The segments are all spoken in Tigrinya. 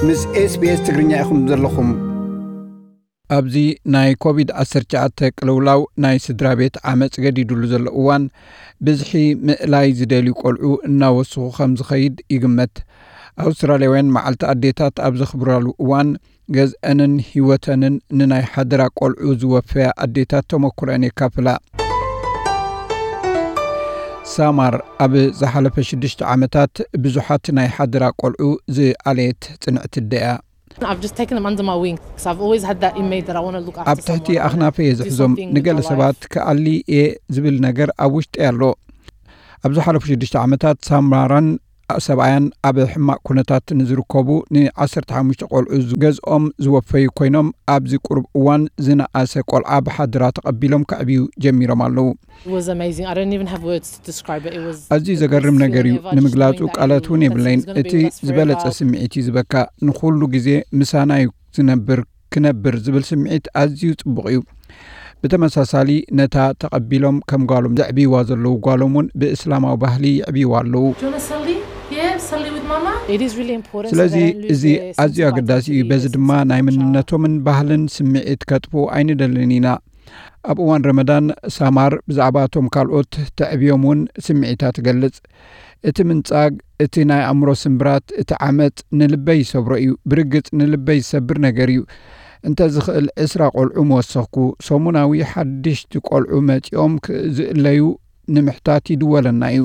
ምስ SBS ትግርኛ ኢኹም ዘለኹም። ኣብዚ ናይ ኮቪድ ዓሰርተ ትሽዓተ ቅልውላው ናይ ስድራ ቤት ዓመጽ ገዲዱሉ ዘሎ እዋን፣ ብዝሒ ምእላይ ዝደልዩ ቆልዑ እናወስኹ ከም ዝኸይድ ይግመት። ኣውስትራልያውያን መዓልቲ ኣዴታት ኣብ ዘኽብራሉ እዋን፣ ገዝአንን ህይወተንን ንናይ ሓደራ ቆልዑ ዝወፈያ ኣዴታት ተመኩረን የካፍላ። ሳማር ኣብ ዝሓለፈ ሽዱሽተ ዓመታት ብዙሓት ናይ ሓደራ ቆልዑ ዝኣለየት ጽንዕቲ ኣደ እያ። I've just taken them under my wing because I've always had that inmate that I want to look after. ኣብ ትሕቲ ኣኽናፈ እየ ዝሕዞም። ንገለ ሰባት ክኣሊ እየ ዝብል ነገር ኣብ ውሽጢ ኣሎ። ኣብ ዝሓለፉ ሽዱሽተ ዓመታት ሳማራን ሰብኣያን ኣብ ሕማቕ ኩነታት ንዝርከቡ ን15 ቆልዑ ገዝኦም ዝወፈዩ ኮይኖም፣ ኣብዚ ቁሩብ እዋን ዝነኣሰ ቆልዓ ብሓድራ ተቐቢሎም ከዕብዩ ጀሚሮም ኣለዉ። It was amazing. I don't even have words to describe it. It was ኣዝዩ ዘገርም ነገር እዩ። ንምግላጹ ቃላት እውን የብለይን። እቲ ዝበለጸ ስምዒት እዩ ዝበካ። ንኹሉ ግዜ ምሳና እዩ ዝነብር፣ ክነብር ዝብል ስምዒት ኣዝዩ ጽቡቕ እዩ። ብተመሳሳሊ ነታ ተቐቢሎም ከም ጓሎም ዘዕብይዋ ዘለዉ ጓሎም እውን ብእስላማዊ ባህሊ ይዕብይዋ ኣለዉ። Do you want to Salli? Yeah, Salli with Mama. It is really important. ስለዚ እዚ ኣዝዩ ኣገዳሲ እዩ። በዚ ድማ ናይ መንነቶምን ባህልን ስምዒት ከጥፍኡ ኣይንደልን ኢና። ኣብ እዋን ረመዳን ሳማር ብዛዕባ እቶም ካልኦት ተዕብዮም እውን ስምዒታ ትገልጽ። እቲ ምንጻግ፣ እቲ ናይ ኣእምሮ ስምብራት፣ እቲ ዓመጽ ንልበይ ይሰብሮ እዩ። ብርግጽ ንልበይ ዝሰብር ነገር እዩ። እንተ ዝኽእል ዕስራ ቆልዑ ምወሰኽኩ። ሰሙናዊ ሓድሽቲ ቆልዑ መጺኦም ዝእለዩ ንምሕታት ይድወለና እዩ።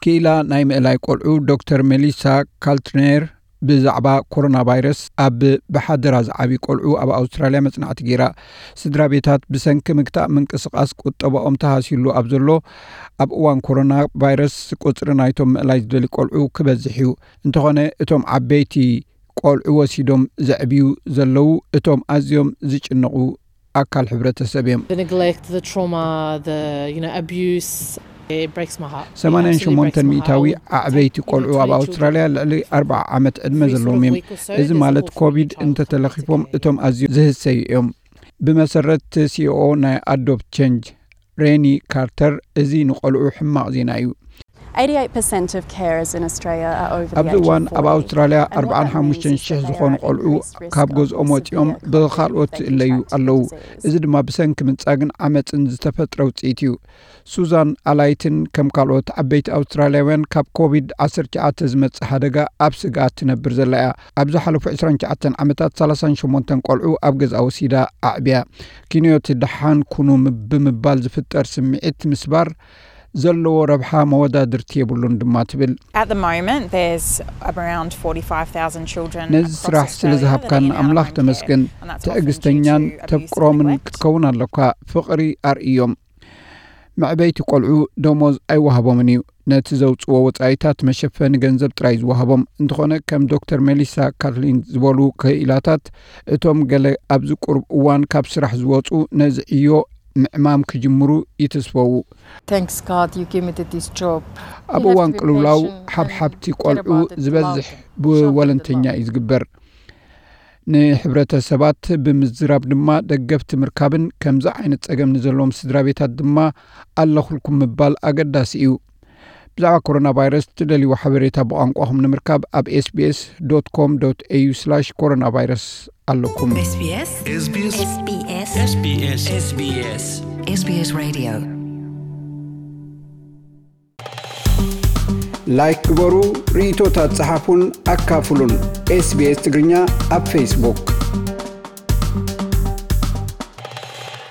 ክኢላ ናይ ምእላይ ቆልዑ ዶክተር ሜሊሳ ካልትኔር ብዛዕባ ኮሮና ቫይረስ ኣብ ብሓደራ ዝዓብዩ ቆልዑ ኣብ ኣውስትራልያ መጽናዕቲ ገይራ። ስድራ ቤታት ብሰንኪ ምግታእ ምንቅስቓስ ቁጠባኦም ተሃስዩሉ ኣብ ዘሎ ኣብ እዋን ኮሮና ቫይረስ፣ ቁጽሪ ናይቶም ምእላይ ዝደልዩ ቆልዑ ክበዝሕ እዩ። እንተኾነ እቶም ዓበይቲ ቆልዑ ወሲዶም ዘዕብዩ ዘለዉ እቶም ኣዝዮም ዝጭነቑ ኣካል ሕብረተሰብ እዮም። The neglect, the trauma, the you know abuse. It breaks my heart. ሰማንያን ሸሞንተን ሚእታዊ ኣዕበይቲ ቆልዑ ኣብ ኣውስትራልያ ልዕሊ ኣርብዓ ዓመት ዕድመ ዘለዎም እዮም። እዚ ማለት ኮቪድ እንተተለኺፎም እቶም ኣዝዮም ዝህሰዩ እዮም። ብመሰረት ሲኦኦ ናይ ኣዶፕት ቸንጅ ሬኒ ካርተር፣ እዚ ንቆልዑ ሕማቕ ዜና እዩ። Eighty-eight percent of carers in Australia are over the ኣብዚ age እዋን of ኣብ forty. ኣውስትራልያ And what that means is ኣርብዓን ሓሙሽተን ሽሕ that they ዝኾኑ are at ቆልዑ increased risk ካብ of ገዝኦም ወፂኦም severe ብኻልኦት chronic ይእለዩ infectious ኣለዉ። disease. እዚ ድማ ብሰንኪ ምንጻግን ዓመፅን ዝተፈጥረ ውፅኢት እዩ። ሱዛን ኣላይትን ከም ካልኦት ዓበይቲ ኣውስትራልያውያን ካብ ኮቪድ ዓሰርተ ትሽዓተ ዝመጽእ ሓደጋ ኣብ ስግኣት ትነብር ዘላ እያ። ኣብ ዝሓለፉ ዕስራን ትሽዓተን ዓመታት ሰላሳን ሸሞንተን ቆልዑ ኣብ ገዝኣ ወሲዳ ኣዕብያ። ኪንዮቲ ደሓን ኩኑ ብምባል ዝፍጠር ስምዒት ምስባር ዘለዎ ረብሓ መወዳድርቲ የብሉን ድማ ትብል። At the moment, there's around forty-five thousand children. ነዚ ስራሕ ስለ ዝሃብካና ኣምላኽ ተመስገን። ትዕግስተኛን ተፍቅሮምን ክትከውን ኣለካ። ፍቕሪ ኣርእዮም። መዕበይቲ ቆልዑ ደሞዝ ኣይወሃቦምን እዩ። ነቲ ዘውፅዎ ወፃኢታት መሸፈኒ ገንዘብ ጥራይ ዝወሃቦም። እንተኾነ ከም ዶክተር ሜሊሳ ካትሊን ዝበሉ ክኢላታት፣ እቶም ገለ ኣብዚ ቁሩብ እዋን ካብ ስራሕ ዝወፁ ነዚ ዕዮ ምዕማም ክጅምሩ ይትስፈዉ። Thanks God you give me this job. ኣብ እዋን ቅልውላው ሓብሓብቲ ቆልዑ ዝበዝሕ ብወለንተኛ እዩ ዝግበር። ንሕብረተሰባት ብምዝራብ ድማ ደገፍቲ ምርካብን ከምዚ ዓይነት ጸገም ንዘለዎም ስድራ ቤታት ድማ ኣለኹልኩም ምባል ኣገዳሲ እዩ። ብዛዕባ ኮሮና ቫይረስ ትደልይዎ ሓበሬታ ብቋንቋኹም ንምርካብ ኣብ ኤስቢኤስ ዶት ኮም ዶት ኤዩ ስላሽ ኮሮና ቫይረስ ኣለኩም። SBS SBS SBS SBS SBS SBS Radio. ላይክ ግበሩ፣ ርእይቶታት ጸሓፉን ኣካፍሉን። ኤስቢኤስ ትግርኛ ኣብ ፌስቡክ።